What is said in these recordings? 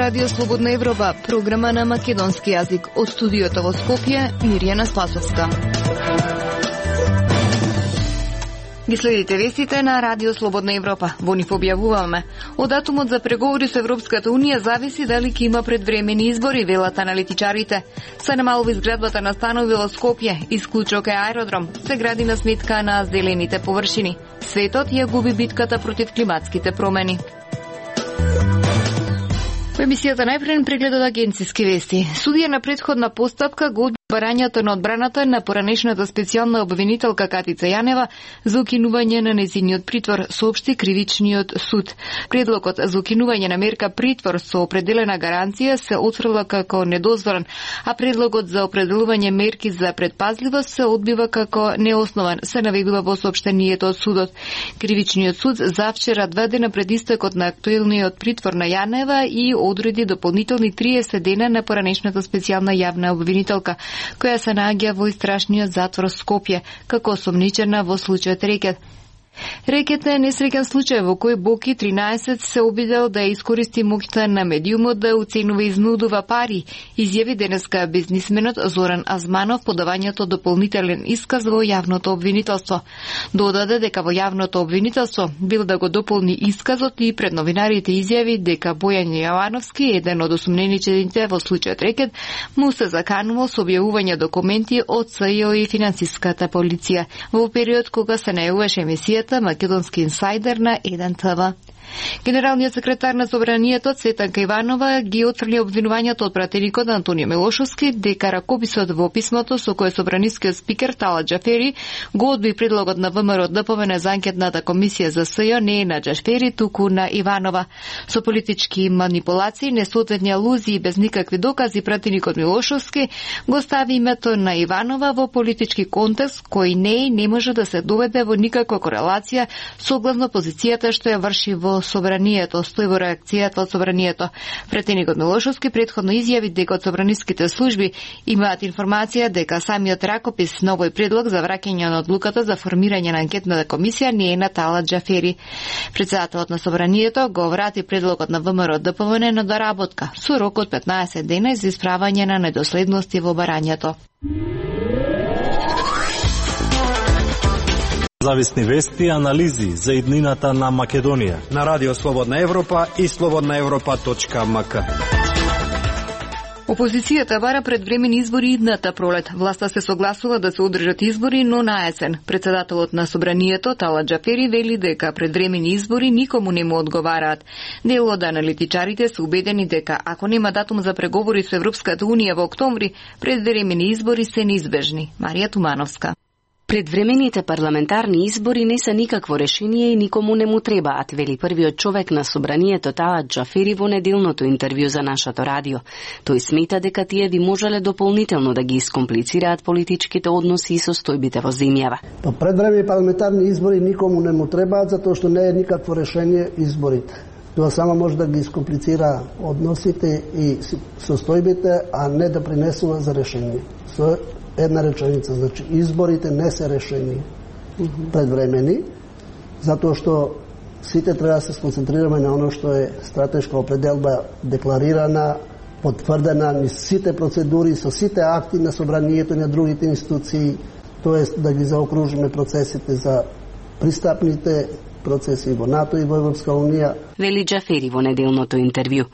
Радио Слободна Европа, програма на македонски јазик. Од студиото во Скопје, Мирјана Спасовска. Ги следите вестите на Радио Слободна Европа. Во нив објавуваме. Од датумот за преговори со Европската Унија зависи дали ќе има предвремени избори, велат аналитичарите. Се намалува изградбата на станови во Скопје, исклучок е аеродром, се гради на сметка на зелените површини. Светот ја губи битката против климатските промени. Во емисијата најпред преглед од агенциски вести. Судија на претходна постапка го барањето на одбраната на поранешната специјална обвинителка Катица Јанева за укинување на нејзиниот притвор, соопшти кривичниот суд. Предлогот за укинување на мерка притвор со определена гаранција се отфрла како недозволен, а предлогот за определување мерки за предпазливост се одбива како неоснован, се наведува во соопштението од судот. Кривичниот суд завчера 2 дена пред истекот на актуелниот притвор на Јанева и одреди дополнителни 30 дена на поранешната специјална јавна обвинителка, која се наоѓа во истрашниот затвор Скопје, како осомничена во случајот Рекет. Рекет е несреќен случај во кој Боки 13 се обидел да искористи моќта на медиумот да уценува и изнудува пари, изјави денеска бизнисменот Зоран Азманов подавањето дополнителен исказ во јавното обвинителство. Додаде дека во јавното обвинителство бил да го дополни исказот и пред новинарите изјави дека Бојан Јовановски, еден од осумненичените во случајот Рекет, му се заканувал со објавување документи од СЈО и финансиската полиција во период кога се најавуваше емисија Македонски инсайдер на 1 ТВ. Генералниот секретар на Собранието Цветанка Иванова ги отфрли обвинувањето од пратеникот Антонио Милошовски дека ракописот во писмото со кое собранискиот спикер Талат Џафери го одби предлогот на ВМРО ДПМН за анкетната комисија за СЈО не е на Џафери, туку на Иванова. Со политички манипулации, несоодветни алузии и без никакви докази пратеникот Милошовски го стави името на Иванова во политички контекст кој не може да се доведе во никаква корелација согласно позицијата што ја врши во Собранието, стои во реакцијата од Собранието. Претеникот Милошовски претходно изјави дека од собраниските служби имаат информација дека самиот ракопис на овој предлог за враќање на одлуката за формирање на анкетната комисија не е на Талат Џафери. Претседателот на Собранието го врати предлогот на ВМРО ДПМН на доработка со рок од 15 дена за исправање на недоследности во барањето. Зависни вести и анализи за иднината на Македонија на Радио Слободна Европа и slobodnaevropa.mk. Опозицијата бара предвремени избори идната пролет. Власта се согласува да се одржат избори, но на есен. Председателот на Собранието Талат Џафери вели дека предвремени избори никому не му одговараат. Дел од аналитичарите се убедени дека ако нема датум за преговори со Европската Унија во октомври, предвремени избори се неизбежни. Марија Тумановска. Предвремените парламентарни избори не се никакво решение и никому не му требаат, вели првиот човек на Собранието Талат Џафери во неделното интервју за нашето радио. Тој смета дека тие би можеле дополнително да ги искомплицираат политичките односи и состојбите во земјава. Предвремените парламентарни избори никому не му требаат затоа што не е никакво решение изборите. Тоа само може да ги искомплицира односите и состојбите, а не да принесува за решение. Со една реченица, значи изборите не се решени предвремени, затоа што сите треба да се сконцентрираме на оно што е стратешка определба декларирана, потврдена низ сите процедури, со сите акти на Собранието и на другите институции, тоест да ги заокружиме процесите за пристапните процеси во НАТО и во Европска Унија. Вели Џафери во неделното интервју.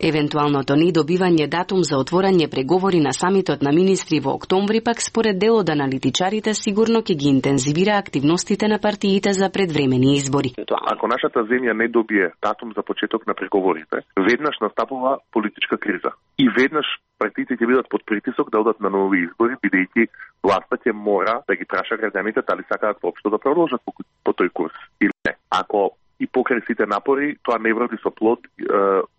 Евентуалното недобивање датум за отворање преговори на самитот на министри во октомври пак според дел од аналитичарите сигурно ќе ги интензивира активностите на партиите за предвремени избори. Ако нашата земја не добие датум за почеток на преговорите, веднаш настапува политичка криза. И веднаш партиите ќе бидат под притисок да одат на нови избори, бидејќи власта ќе мора да ги праша граѓаните дали сакаат воопшто да продолжат по тој курс или не. Ако и покрај сите напори, тоа не вроди со плод,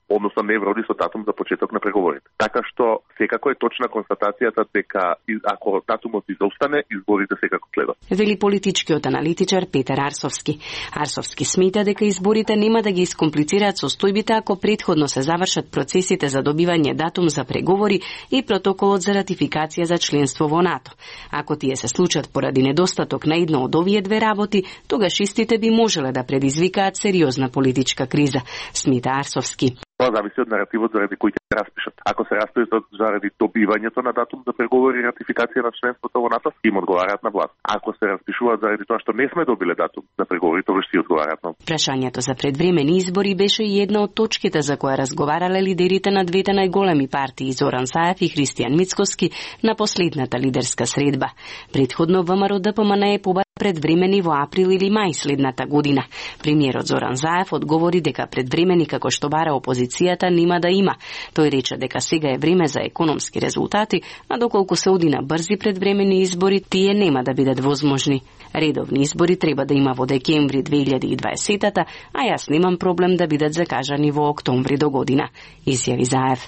односно не вроди со датум за почеток на преговорите. Така што секако е точна констатацијата дека ако датумот изостане, изборите секако следат. Вели политичкиот аналитичар Петар Арсовски. Арсовски смета дека изборите нема да ги искомплицираат состојбите ако претходно се завршат процесите за добивање датум за преговори и протоколот за ратификација за членство во НАТО. Ако тие се случат поради недостаток на едно од овие две работи, тогаш истите би можеле да предизвикаат сериозна политичка криза, смета Арсовски. Тоа зависи од наративот заради кој ќе распишат. Ако се распишат заради добивањето на датум за преговори и ратификација на членството во НАТО, им одговараат на власт. Ако се распишуваат заради тоа што не сме добиле датум за преговори, тоа ќе одговараат на. Прашањето за предвремени избори беше и една од точките за која разговарале лидерите на двете најголеми партии Зоран Заев и Христијан Мицкоски на последната лидерска средба. Предходно ВМРО ДПМН побара предвремени во април или мај следната година. Премиерот Зоран Заев одговори дека предвремени како што бара опозицијата нема да има. Тој рече дека сега е време за економски резултати, а доколку се оди на брзи предвремени избори, тие нема да бидат возможни. Редовни избори треба да има во декември 2020-та, а јас немам проблем да бидат закажани во октомври до година, изјави Заев.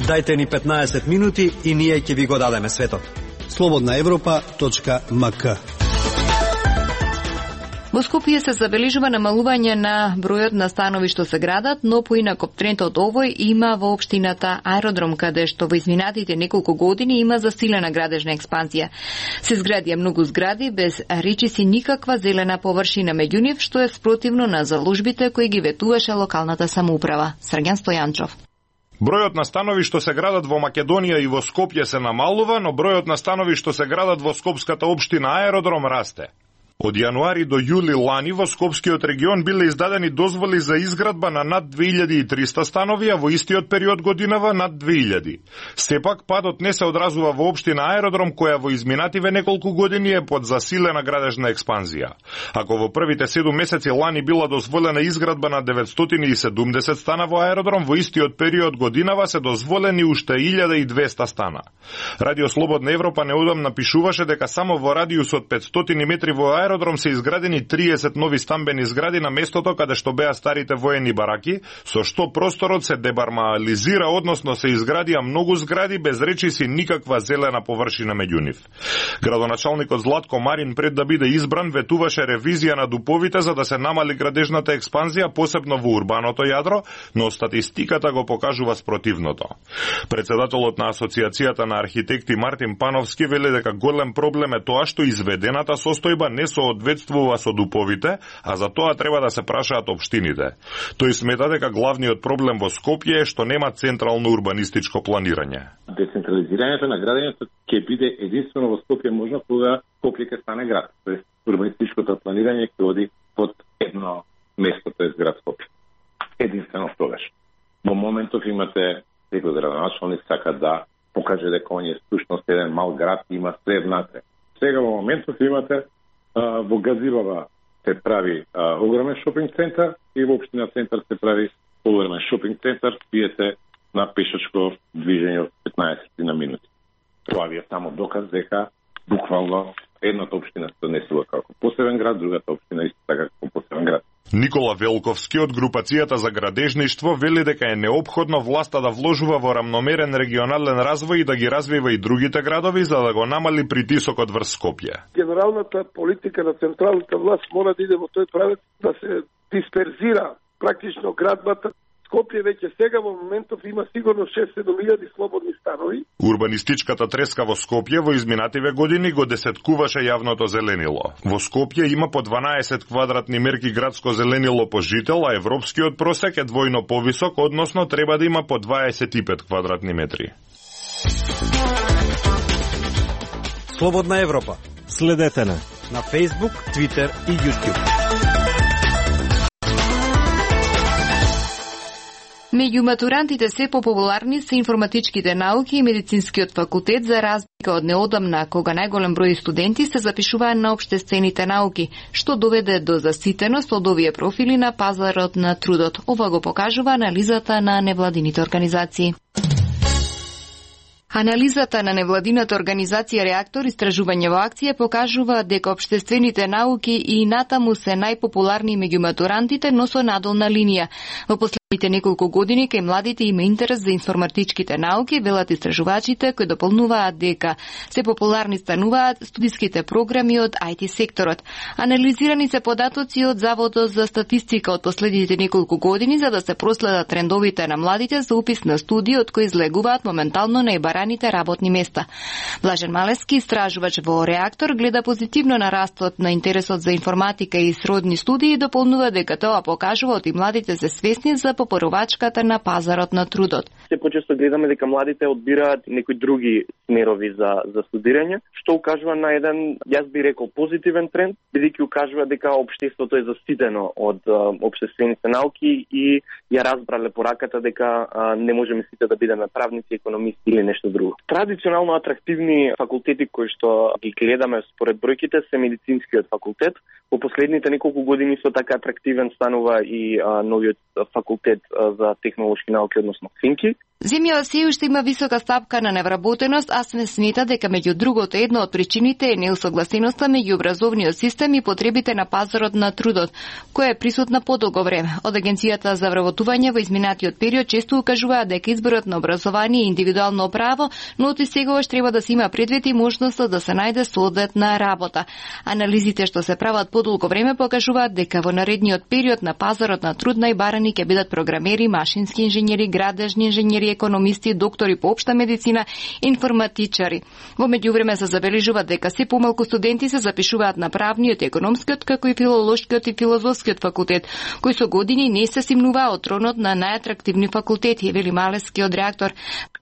Дајте ни 15 минути и ние ќе ви го дадеме светот. slobodnaevropa.mk. Во Скопје се забележува намалување на бројот на станови што се градат, но поинаку трендот овој има во општината Аеродром, каде што во изминатите неколку години има засилена градежна експанзија. Се изградија многу згради без речиси никаква зелена површина меѓу нив, што е спротивно на заложбите кои ги ветуваше локалната самоуправа. Срѓан Стојанчов. Бројот на станови што се градат во Македонија и во Скопје се намалува, но бројот на станови што се градат во скопската општина Аеродром расте. Од јануари до јули лани во Скопскиот регион биле издадени дозволи за изградба на над 2300 станови, а во истиот период годинава над 2000. Сепак, падот не се одразува во општина Аеродром, која во изминативе неколку години е под засилена градежна експанзија. Ако во првите 7 месеци лани била дозволена изградба на 970 стана во Аеродром, во истиот период годинава се дозволени уште 1200 стана. Радио Слободна Европа неодамна напишуваше дека само во радиус од 500 метри во Аеродром се изградени 30 нови стамбени згради на местото каде што беа старите воени бараки, со што просторот се дебармализира, односно се изградија многу згради без речиси никаква зелена површина меѓу нив. Градоначалникот Златко Марин пред да биде избран ветуваше ревизија на дуповите за да се намали градежната експанзија, посебно во урбаното јадро, но статистиката го покажува спротивното. Председателот на Асоциацијата на архитекти Мартин Пановски вели дека голем проблем е тоа што изведената состојба не соодветствува со дуповите, а за тоа треба да се прашаат општините. Тој смета дека главниот проблем во Скопје е што нема централно урбанистичко планирање. Децентрализирањето на градењето ќе биде единствено во Скопје можно кога Скопје ќе стане град. Тоест урбанистичкото планирање ќе оди под едно место, тоест град Скопје. Единствено тогаш. Во моментов имате секој градоначалник сака да покаже дека он е всушност еден мал град и има све внатре. Сега во моментов имате во Газибава се прави огромен шопинг центар и во општина Центар се прави огромен шопинг центар, пиете на пешачко движење од 15 на минути. Тоа ви е само доказ дека буквално едната општина се донесува како посебен град, другата општина исто така како посебен град. Никола Велковски од групацијата за градежништво вели дека е неопходно власта да вложува во рамномерен регионален развој и да ги развива и другите градови за да го намали притисокот врз Скопје. Генералната политика на централната власт мора да иде во тој правец да се дисперзира практично градбата. Скопје веќе сега во моментов има сигурно 6-7 слободни станови. Урбанистичката треска во Скопје во изминативе години го десеткуваше јавното зеленило. Во Скопје има по 12 квадратни мерки градско зеленило по жител, а европскиот просек е двојно повисок, односно треба да има по 25 квадратни метри. Слободна Европа. Следете на Facebook, Twitter и YouTube. Меѓу матурантите се популарни се информатичките науки и медицинскиот факултет, за разлика од неодамна, кога најголем број студенти се запишуваа на општествените науки, што доведе до заситеност од овие профили на пазарот на трудот. Ова го покажува анализата на невладините организации. Анализата на невладината организација Реактор истражување во акција покажува дека општествените науки и натаму се најпопуларни меѓу матурантите, но со надолна линија. Во неколку години кај младите има интерес за информатичките науки, велат истражувачите кои дополнуваат дека се популарни стануваат студиските програми од IT секторот. Анализирани се податоци од Заводот за статистика од последните неколку години за да се проследат трендовите на младите за упис на студии од кои излегуваат моментално најбараните работни места. Блажен Малески, истражувач во Реактор, гледа позитивно на растот на интересот за информатика и сродни студии и дополнува дека тоа покажува и младите се свесни за попоровачката на пазарот на трудот. Се почесто гледаме дека младите одбираат некои други смерови за студирање, што укажува на еден, јас би рекол, позитивен тренд, бидејќи укажува дека општеството е заситено од општествените науки и ја разбрале пораката дека не можеме сите да бидеме правници, економисти или нешто друго. Традиционално атрактивни факултети кои што ги гледаме според бројките се медицинскиот факултет. Во последните неколку години со така атрактивен станува и новиот факултет за технолошки науки, односно ФИНКИ. Земјава се уште има висока стапка на невработеност, а се смета дека меѓу другото една од причините е неусогласеноста меѓу образовниот систем и потребите на пазарот на трудот, која е присутна подолго време. Од Агенцијата за вработување во изминатиот период често укажуваат дека изборот на образование е индивидуално право, но и сегогаш треба да се има предвид и можноста да се најде соодветна работа. Анализите што се прават подолго време покажуваат дека во наредниот период на пазарот на труд најбарани ќе бидат програмери, машински инженери, градежни инженери, економисти, доктори по општа медицина, информатичари. Во меѓувреме се забележува дека се помалку студенти се запишуваат на правниот, економскиот, како и филолошкиот и филозофскиот факултет, кои со години не се симнуваа од тронот на најатрактивни факултети, вели Малески од Реактор.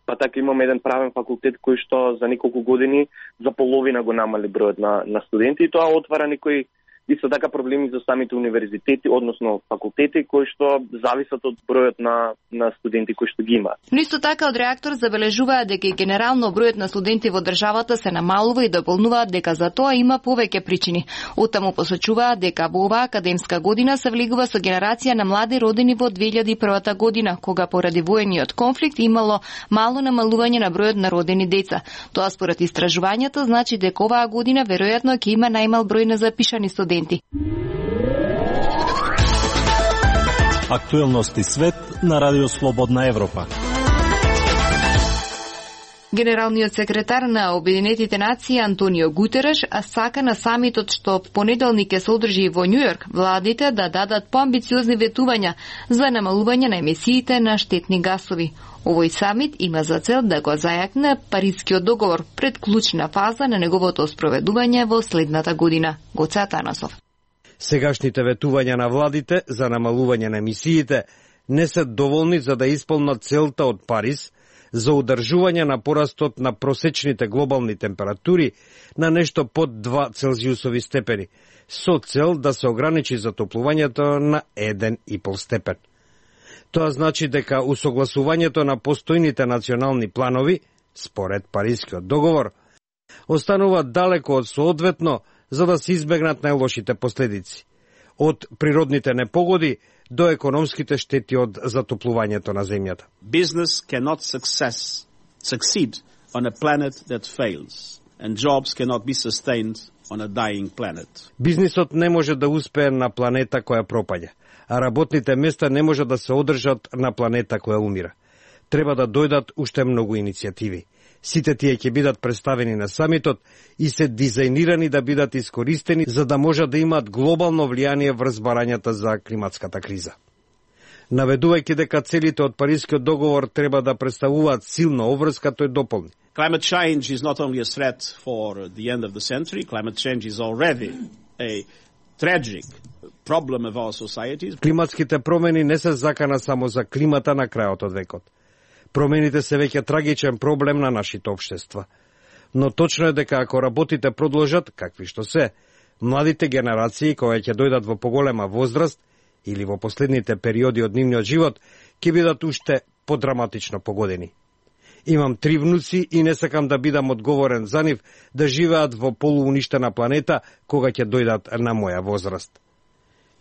Па така имаме еден правен факултет кој што за неколку години за половина го намали бројот на студенти и тоа отвара некои исто така проблеми за самите универзитети, односно факултети кои што зависат од бројот на студенти кои што ги има. Но исто така од Реактор забележуваат дека и генерално бројот на студенти во државата се намалува и дополнуваат дека за тоа има повеќе причини. Оттаму посочуваат дека во оваа академска година се влегува со генерација на млади родени во 2001 година, кога поради воениот конфликт имало мало намалување на бројот на родени деца. Тоа според истражувањето значи дека оваа година веројатно ќе има најмал број на запишани студенти. Актуелности свет на Радио Слободна Европа. Генералниот секретар на Обединетите нации Антонио Гутереш сака на самитот што в понеделник ќе се одржи во Њујорк владите да дадат поамбициозни ветувања за намалување на емисиите на штетни гасови. Овој самит има за цел да го зајакне Парискиот договор пред клучна фаза на неговото спроведување во следната година. Гоце Атанасов. Сегашните ветувања на владите за намалување на емисиите не се доволни за да исполнат целта од Париз за одржување на порастот на просечните глобални температури на нешто под 2 целзиусови степени, со цел да се ограничи затоплувањето на 1,5 степен. Тоа значи дека усогласувањето на постојните национални планови, според Парискиот договор, останува далеко од соодветно за да се избегнат најлошите последици, од природните непогоди до економските штети од затоплувањето на земјата. Business cannot succeed on a planet that fails, and jobs cannot be sustained on a dying planet. Бизнисот не може да успее на планета која пропаѓа, а работните места не може да се одржат на планета која умира. Треба да дојдат уште многу иницијативи. Сите тие ќе бидат представени на самитот и се дизајнирани да бидат искористени за да можат да имаат глобално влијание врз барањата за климатската криза. Наведувајќи дека целите од Парискиот договор треба да представуваат силна обврска, тој дополни. Climate change is not only a threat for the end of the century, climate change is already a tragic problem of our societies. Климатските промени не се закана само за климата на крајот од векот. Промените се веќе трагичен проблем на нашите општества. Но точно е дека ако работите продолжат, какви што се, младите генерации кои ќе дојдат во поголема возраст или во последните периоди од нивниот живот, ќе бидат уште подраматично погодени. Имам 3 внуци и не сакам да бидам одговорен за нив да живеат во полууништена планета кога ќе дојдат на моја возраст.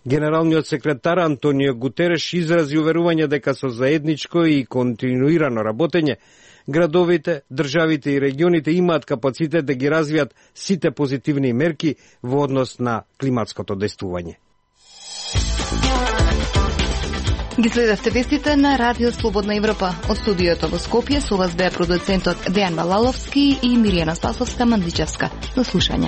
Генералниот секретар Антонио Гутереш изрази уверување дека со заедничко и континуирано работење градовите, државите и регионите имаат капацитет да ги развијат сите позитивни мерки во однос на климатското действување. Ги следевте вестите на Радио Слободна Европа. Од студиото во Скопје со вас беа продуцентот Дејан Малаловски и Миријана Спасовска-Мандличевска. До слушање.